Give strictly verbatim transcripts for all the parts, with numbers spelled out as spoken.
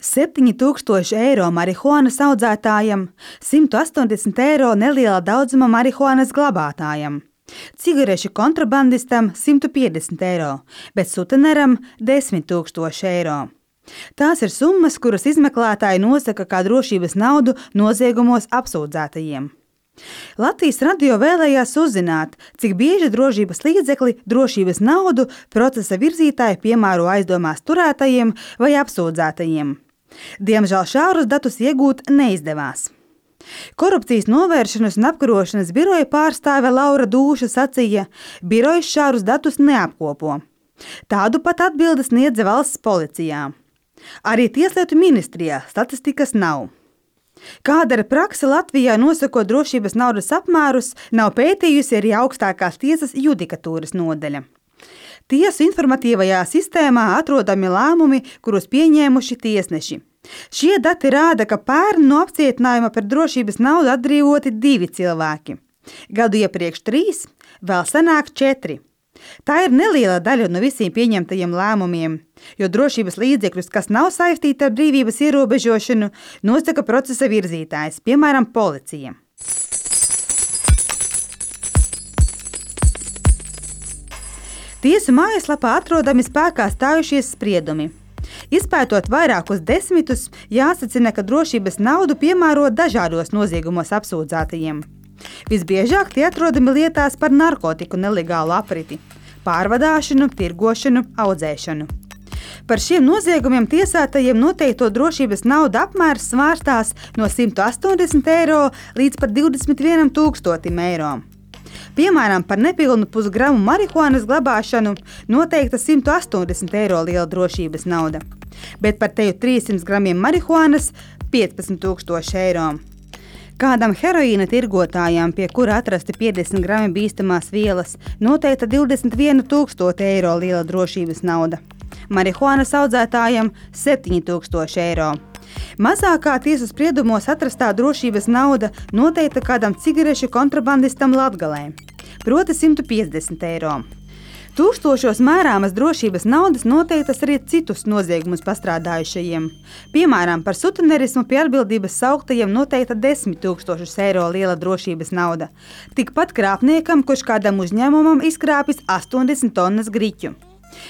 septiņi tūkstoši eiro marihuānas audzētājam, simt astoņdesmit eiro neliela daudzuma marihuānas glabātājam, cigarešu kontrabandistam simt piecdesmit eiro, bet suteneram desmit tūkstoši eiro. Tās ir summas, kuras izmeklētāji nosaka kā drošības naudu noziegumos apsūdzētajiem. Latvijas radio vēlējās uzzināt, cik bieži drošības līdzekli drošības naudu procesa virzītāji piemēro aizdomās turētajiem vai apsūdzētajiem. Diemžēl šaurus datus iegūt neizdevās. Korupcijas novēršanas un apkarošanas biroja pārstāve Laura Dūša sacīja, birojas šaurus datus neapkopo. Tādu pat atbildes sniedza valsts policijā. Arī Tieslietu ministrijā statistikas nav. Kāda ir prakse Latvijā nosakot drošības naudas apmērus, nav pētījusi arī augstākās tiesas judikatūras nodaļa. Tiesu informatīvajā sistēmā atrodami lēmumi, kurus pieņēmuši tiesneši. Šie dati rāda, ka pērn no apcietinājuma par drošības naudu atbrīvoti divi cilvēki. Gadu iepriekš trīs, vēl senāk četri. Tā ir neliela daļa no visiem pieņemtajiem lēmumiem, jo drošības līdzekļus, kas nav saistīti ar brīvības ierobežošanu, nosaka procesa virzītājs, piemēram, policija. Tiesu mājaslapā atrodami spēkā stājušies spriedumi. Izpētot vairākus desmitus, jāsacina, ka drošības naudu piemēro dažādos noziegumos apsūdzētajiem. Visbiežāk tie atrodami lietās par narkotiku nelegālu apriti, pārvadāšanu, tirgošanu, audzēšanu. Par šiem noziegumiem tiesātajiem noteikto drošības nauda apmērs svārstās no simt astoņdesmit eiro līdz pat divdesmit vienam tūkstotim eiro. Piemēram, par nepilnu pusgramu marihuānas glabāšanu noteikta simt astoņdesmit eiro liela drošības nauda, bet par teju trīssimt gramiem marihuānas piecpadsmit tūkstoši eiro. Kādam heroīna tirgotājām, pie kura atrasti piecdesmit grami bīstamās vielas, noteikta divdesmit vienu tūkstoti eiro liela drošības nauda. Marihuānas audzētājam septiņi tūkstoši eiro. Mazākā tiesu spriedumos atrastā drošības nauda noteikta kādam cigarešu kontrabandistam Latgalē, proti simt piecdesmit eiro. Tūkstošos mērāmas drošības naudas noteiktas arī citus noziegumus pastrādājušajiem. Piemēram, par sutenerismu pie atbildības sauktajiem noteikta desmit tūkstošus eiro liela drošības nauda. Tikpat krāpniekam, kurš kādam uzņēmumam izkrāpis astoņdesmit tonnas griķu.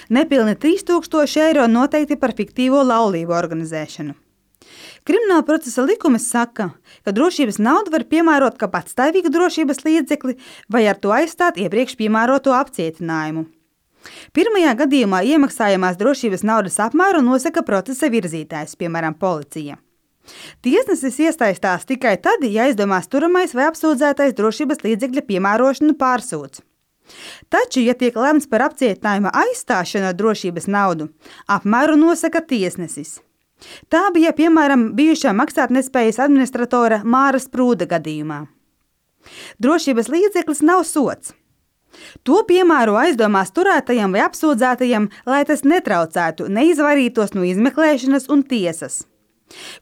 Nepilni trīs tūkstoši eiro noteikti par fiktīvo laulību organizēšanu. Krimināla procesa likums saka, ka drošības naudu var piemērot kā patstāvīgu drošības līdzekli vai ar to aizstāt iepriekš piemēroto apcietinājumu. Pirmajā gadījumā iemaksājamās drošības naudas apmēru nosaka procesa virzītājs, piemēram, policija. Tiesnesis iesaistās tikai tad, ja aizdomās turamais vai apsūdzētais drošības līdzekļa piemērošanu pārsūdz. Taču, ja tiek lemts par apcietinājuma aizstāšanu ar drošības naudu, apmēru nosaka tiesnesis. Tā bija, piemēram, bijušā maksātnespējas administratora Māra Sprūda gadījumā. Drošības līdzeklis nav sods. To piemēro aizdomās turētajam vai apsūdzētajam, lai tas netraucētu, neizvairītos no izmeklēšanas un tiesas.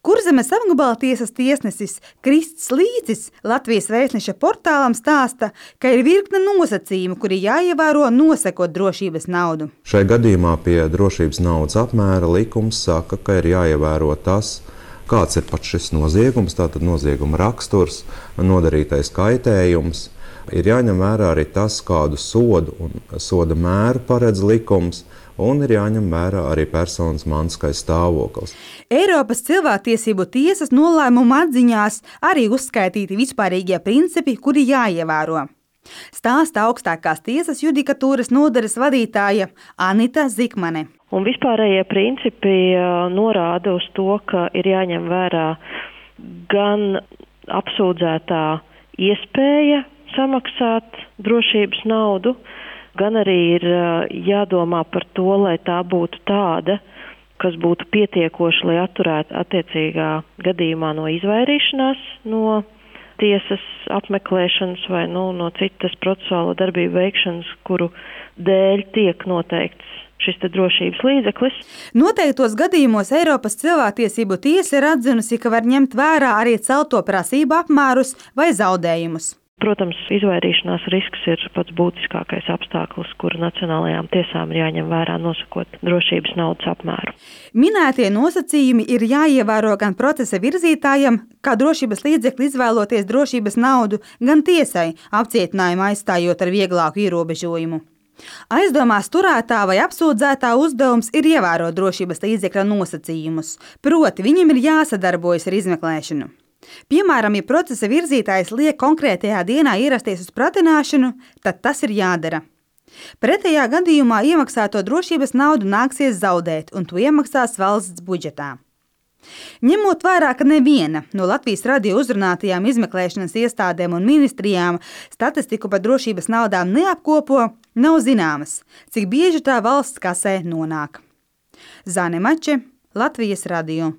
Kurzemes apgabala tiesas tiesnesis Krists Līcis Latvijas Vēstneša portālam stāsta, ka ir virkne nosacījumu, kuri jāievēro nosakot drošības naudu. Šai gadījumā pie drošības naudas apmēra likums saka, ka ir jāievēro tas, kāds ir pats šis noziegums, tātad nozieguma raksturs, nodarītais kaitējums. Ir jāņem vērā arī tas, kādu sodu un soda mēru paredz likums, un ir jāņem vērā arī personas mantiskais stāvoklis. Eiropas cilvēktiesību tiesas nolēmuma atziņās arī uzskaitīti vispārīgie principi, kuri jāievēro. Stāsta augstākās tiesas judikatūras nodaļas vadītāja Anita Zikmane. Un vispārējie principi norāda uz to, ka ir jāņem vērā gan apsūdzētā iespēja samaksāt drošības naudu, gan arī ir jādomā par to, lai tā būtu tāda, kas būtu pietiekoši, lai atturētu attiecīgā gadījumā no izvairīšanās no tiesas apmeklēšanas vai nu, no citas procesuāla darbību veikšanas, kuru dēļ tiek noteikts šis te drošības līdzeklis. Noteiktos gadījumos Eiropas cilvēktiesību tiesa ir atzinusi, ka var ņemt vērā arī celto prasību apmērus vai zaudējumus. Protams, izvairīšanās risks ir pats būtiskākais apstākļus, kuru nacionālajām tiesām ir jāņem vērā nosakot drošības naudas apmēru. Minētie nosacījumi ir jāievēro gan procesa virzītājam, kā drošības līdzekli izvēloties drošības naudu, gan tiesai, apcietinājumu aizstājot ar vieglāku ierobežojumu. Aizdomās turētā vai apsūdzētā uzdevums ir ievērot drošības līdzekļa nosacījumus, proti viņam ir jāsadarbojas ar izmeklēšanu. Piemēram, ja procesa virzītājs liek konkrētajā dienā ierasties uz pratināšanu, tad tas ir jādara. Pretējā gadījumā iemaksāto drošības naudu nāksies zaudēt, un to iemaksās valsts budžetā. Ņemot vērā, ka neviena no Latvijas radio uzrunātajām izmeklēšanas iestādēm un ministrijām statistiku par drošības naudām neapkopo, nav zināmas, cik bieži tā valsts kasē nonāk. Zane Mače, Latvijas radio.